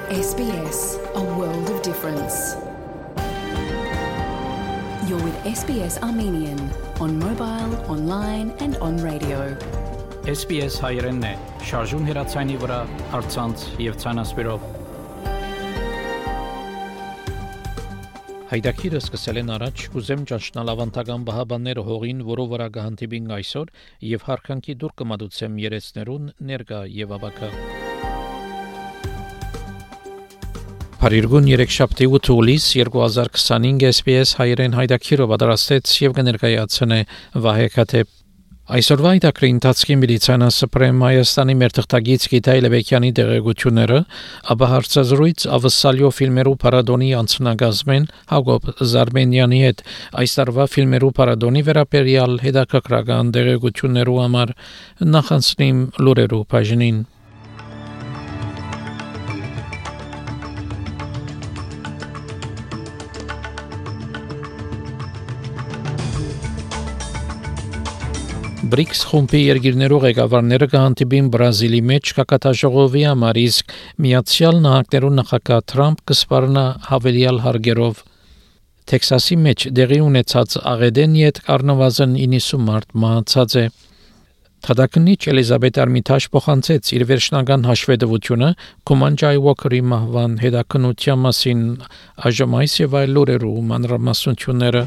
SBS, a world of difference. You're with SBS Armenian on mobile, online and on radio. SBS հայերենն է, շարժուն հեռացանի վրա, առցանց եւ ցանասպիրով։ Հայդակիրը սկսել են առաջ, կուզեմ ճանչնալ ավանդական բահաբանները հողին, որով վրա կհանդիպին այսօր եւ հարկանքի դուր կմատուցեմ երեցներուն ներկա եւ ավակա։ Փարիգուն 3 շաբթի 8 հուլիս 2025 SBS հայերեն հայդակիրը պատրաստեց եւ կներկայացնե Վահե Քաթեփ։ Այսօրվա հայդակրի ընթացքի միլիցիան Սպրեմ Հայաստանի մերթղթագից Գիտայ Լեբեկյանի տեղեկությունները, ապա հարցազրույց ավսալյո ֆիլմերու պարադոնի անցնագազմեն Հակոբ Զարմենյանի հետ այս տարվա ֆիլմերու պարադոնի վերաբերյալ հետաքրքրական տեղեկություններու համար նախանցնիմ լուրերու բաժնին։ BRICS խումբի երկիրներու ղեկավարները կհանդիպին Բրազիլի մեջ կակատաժողովի համար, իսկ Միացյալ Նահանգներու նախագահ Թրամփ կսպառնա հավելյալ հարգերով։ Տեքսասի մեջ դեղի ունեցած աղեդեն յետ առնվազն 90 մարդ մահացած է։ Թադակնիչ Էլիզաբետ Արմիթաժ փոխանցեց իր վերջնական հաշվետվությունը Կոմանջայ Ուոքերի մահվան հետաքննության մասին, այժմ այս եւ այլ լուրերու մանրամասնությունները։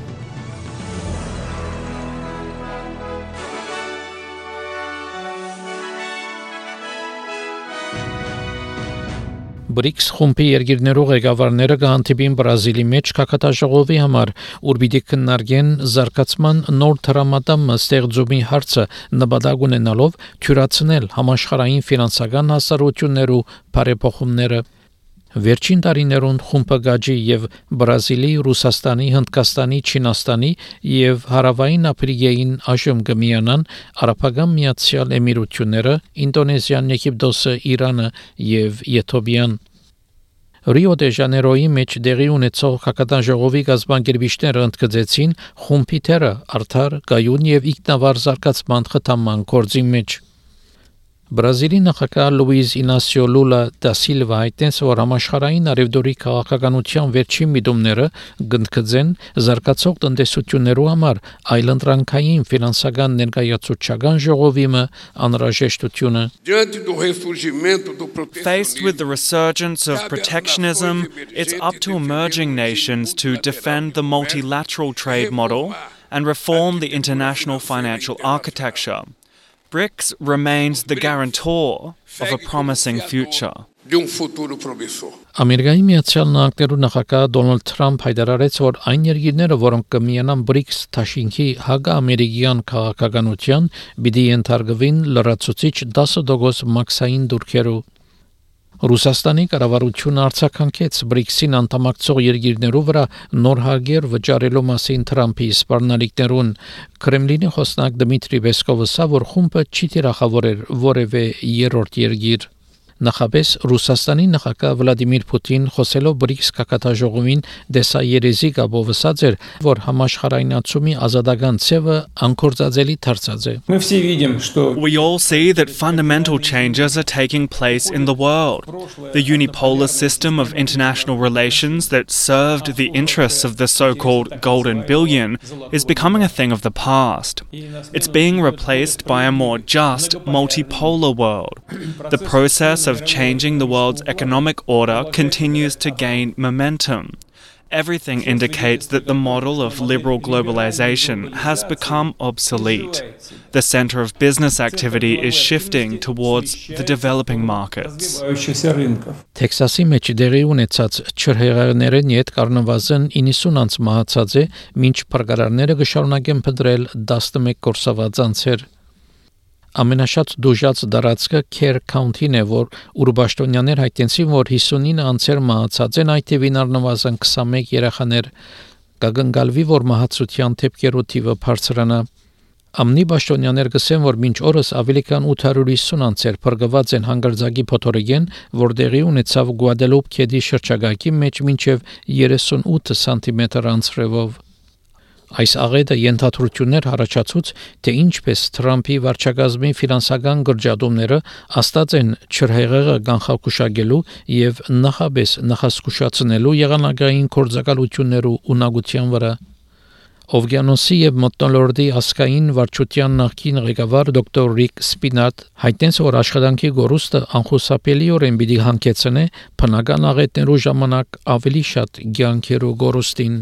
BRICS խումբի երկիրներու ղեկավարները կհանդիպին Բրազիլի մեջ կակատաժողովի համար, ուր պիտի քննարկեն զարգացման նոր տրամադամը ստեղծումի հարցը նպատակ ունենալով թյուրացնել համաշխարհային ֆինանսական հասարակություններու բարեփոխումները։ Վերջին տարիներուն խումբը գաջի եւ Բրազիլի, Ռուսաստանի, Հնդկաստանի, Չինաստանի եւ Հարավային Աֆրիկային այժմ կմիանան Արաբական Միացյալ Էմիրությունները, Ինդոնեզիան, Եգիպտոսը, Իրանը եւ Եթովպիան։ Ռիո դե Ժանեյրոյի մեջ դեղի ունեցող կակատաժողովի կազմակերպիչները ընդգծեցին խումբի թերը արդար, կայուն եւ ինքնավար զարգացման խթանման գործի մեջ։ Բրազիլի նախագահ Լուիզ Ինասիո Լուլա դա Սիլվա հայտնեց, որ համաշխարհային արևդուրի քաղաքականության վերջին միտումները գնդկծեն զարգացող տնտեսություններու համար այլընտրանքային ֆինանսական ներկայացուցչական ժողովիմը անհրաժեշտությունը։ Faced with the resurgence of protectionism, it's up to emerging nations to defend the multilateral trade model and reform the international financial architecture. BRICS remains the guarantor of a promising future. Ամերիկայի Միացյալ Նահանգներու նախագահ Դոնալդ Թրամփ հայտարարեց, որ այն երկիրները, որոնք կմիանան BRICS թաշինքի հակաամերիկյան քաղաքականության, պիտի ենթարկվին լրացուցիչ 10% մաքսային դուրքերու։ Ռուսաստանի կառավարությունը արձագանքեց BRICS-ին անդամակցող երկիրներու վրա նոր հարգեր վճարելու մասին Թրամփի սպառնալիքներուն։ Կրեմլինի խոսնակ Դմիտրի Պեսկովը ասա, որ խումբը չի թիրախավորել որևէ երրորդ երկիր։ Նախապես Ռուսաստանի նախագահ Վլադիմիր Պուտին խոսելով BRICS կակատաժողովին դեսայերեզի գաբով ասաց էր, որ համաշխարհայնացումի ազատական ցևը անկործածելի դարձած է։ We all see that fundamental changes are taking place in the world. The unipolar system of international relations that served the interests of the so-called Golden Billion is becoming a thing of the past. It's being replaced by a more just multipolar world. The process of changing the world's economic order continues to gain momentum. Everything indicates that the model of liberal globalization has become obsolete. The center of business activity is shifting towards the developing markets. Տեքսասի մեջ դեղի ունեցած չրհեղեղներն յետ կառնվազն 90 անց մահացած է, մինչ փրկարարները կշարունակեն փնտրել 11 կորսաված անձեր։ Ամենաշատ դուժած դարածքը Քեր Քաունթին է, որ ուրբաշտոնյաներ հայտնեցին, որ 59 անձեր մահացած են, այդ թվին առնվազն 21 երեխաներ, կգնգալվի, որ մահացության դեպքերու թիվը բարձրանա։ Ամնի պաշտոնյաներ գսեն, որ մինչ օրս ավելի քան 850 անձեր փրկված են հանգարձակի փոթորիկեն, որ դեղի ունեցավ Գուադելուպ քեդի շրջակայքի մեջ մինչև 38 սանտիմետր անձրևով։ Այս աղետը ենթադրություններ առաջացուց, թե ինչպես Թրամփի վարչակազմի ֆինանսական գրջադումները աստած են չրհեղեղը կանխակուշակելու եւ նախաբես նախասկուշացնելու եղանակային կորձակալություններու ունակության վրա։ Օվկիանոսի եւ մթնոլորտի ասկային վարչության նախկին ղեկավար դոկտոր Ռիկ Սպինատ հայտնեց, որ աշխատանքի գորուստը անխուսափելիորեն պիտի հանգեցնե բնական աղետներու ժամանակ ավելի շատ ցանկերու գորուստին։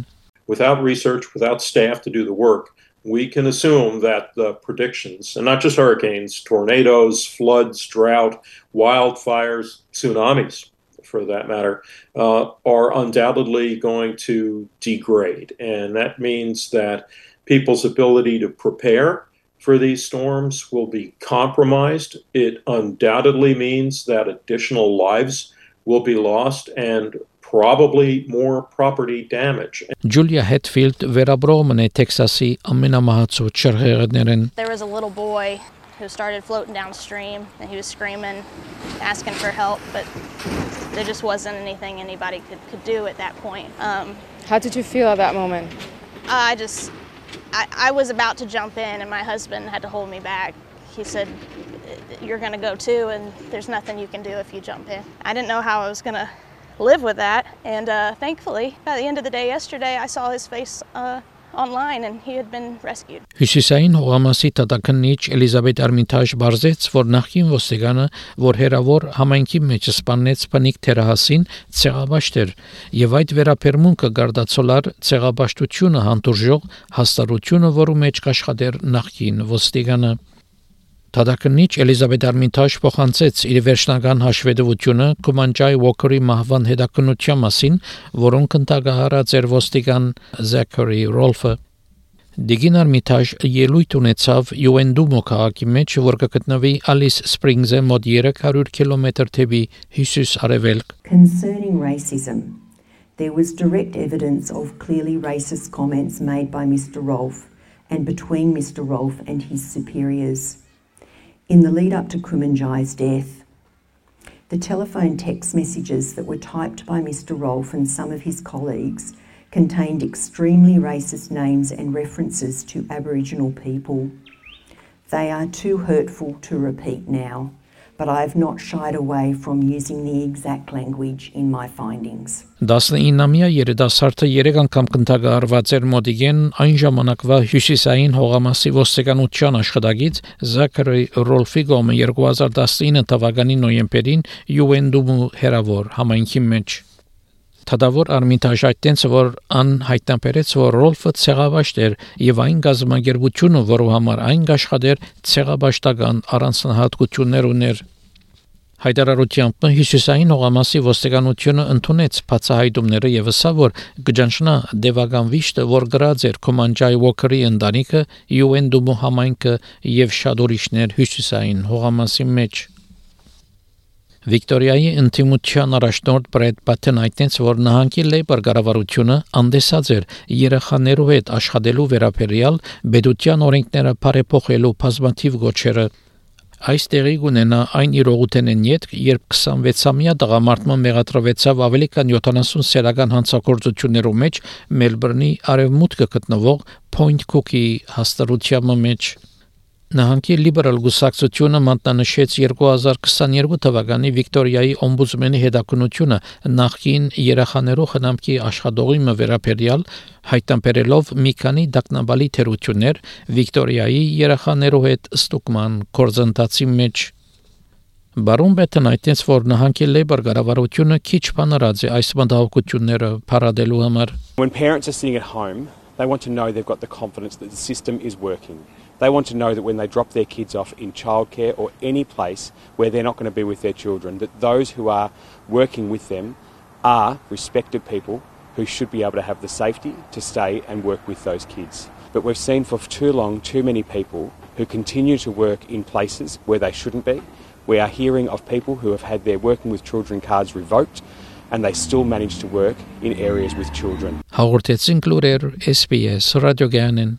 Without research, without staff to do the work, we can assume that the predictions, and not just hurricanes, tornadoes, floods, drought, wildfires, tsunamis, for that matter, are undoubtedly going to degrade. And that means that people's ability to prepare for these storms will be compromised. It undoubtedly means that additional lives will be lost and probably more property damage. Julia Hetfield վերաբրոմն է Տեքսասի ամենամահացու չրհեղներն։ There was a little boy who started floating downstream and he was screaming, asking for help, but there just wasn't anything anybody could do at that point. How did you feel at that moment? I was about to jump in and my husband had to hold me back. He said, "You're going to go too and there's nothing you can do if you jump in." I didn't know how I was going to live with that, and thankfully by the end of the day yesterday I saw his face online and he had been rescued. Հյուսիսային հողամասի տատակնիչ Էլիզաբետ Արմինտաժ բարձեց, որ նախին ոստիգանը, որ հերավոր համայնքի մեջ սպանեց բնիկ թերահասին, ցեղաբաշտեր, եւ այդ վերապերմունքը գարդացոլար ցեղաբաշտությունը հանդուրժող հաստատությունը, որու մեջ կաշխատեր նախին ոստիգանը։ Տատակնիչ Էլիզաբետ Արմինտաժ փոխանցեց իր վերջնական հաշվետվությունը Կոմանջայ Ուոքերի մահվան հետաքննության մասին, որոնք ընդգահարած էր ոստիկան Զաքարի Ռոլֆը։ Դիգին Արմինտաժ ելույթ ունեցավ Յուենդումո քաղաքի մեջ, որ կգտնվի Ալիս Սպրինգզը մոտ 300 կիլոմետր թեպի հյուսիս-արևելք։ Concerning racism, there was direct evidence of clearly racist comments made by Mr. Rolfe and between Mr. Rolfe and his superiors. In the lead up to Kumanjai's death, the telephone text messages that were typed by Mr. Rolfe and some of his colleagues contained extremely racist names and references to Aboriginal people. They are too hurtful to repeat now, but I have not shied away from using the exact language in my findings. 19-ամյա երիտասարդը 3 անգամ կնթագարված էր մոդիգեն այն ժամանակվա հյուսիսային հողամասի ոստիկանության աշխատակից Զաքարի Ռոլֆի կողմը 2019 թվականի նոյեմբերին Յուենդումու հերավոր համայնքի մեջ։ Թադավոր Արմինտաժ այդտենց որ ան հայտնաբերեց, որ Ռոլֆը ցեղաբաշտ էր եւ այն գազամագերբությունը, որով համար այն աշխատեր ցեղաբաշտական առանձնահատկություններ ուներ։ Հայտարարությամբ հյուսիսային հողամասի ոստիկանությունը ընդունեց բացահայտումները եւ ասա, որ գճանշնա դեվական վիշտը, որ գրած էր Կոմանջայ Ուոքերի ընտանիքը, Յուենդումու համայնքը եւ շատ ուրիշներ հյուսիսային հողամասի մեջ։ Վիկտորիայի ինտիմության առաջնորդ Բրեդ Պաթեն այդտենց որ նահանգի լեյբր կառավարությունը անդեսած էր երեխաներու հետ աշխատելու վերաբերյալ բեդության օրենքները բարեփոխելու բազմաթիվ գոչերը։ Այս տեղի կունենա այն իրողութենեն յետք, երբ 26-ամյա տղամարդը մեղադրվեցավ ավելի քան 70 սեռական հանցագործություններով մեջ Մելբուրնի արևմուտքը գտնվող Point Cook-ի հաստատության մեջ։ Նահանգի լիբերալ գուսակցությունը մատնանշեց 2022 թվականի Վիկտորիայի օմբուդսմենի հետաքննությունը նախկին երեխաներու խնամքի աշխատողի վերաբերյալ հայտնաբերելով մի քանի դակնաբալի թերություններ Վիկտորիայի երեխաներու հետ ստուգման գործընթացի մեջ։ Բարոն Բեթն այդտենց որ նահանգի լեյբր կառավարությունը քիչ բանարած է այս մտահոգությունները փառադելու համար։ When parents are sitting at home, they want to know they've got the confidence that the system is working. They want to know that when they drop their kids off in childcare or any place where they're not going to be with their children, that those who are working with them are respected people who should be able to have the safety to stay and work with those kids. But we've seen for too long too many people who continue to work in places where they shouldn't be. We are hearing of people who have had their working with children cards revoked and they still manage to work in areas with children. Հաղորդեցին լուրեր SBS ռադիոգյանեն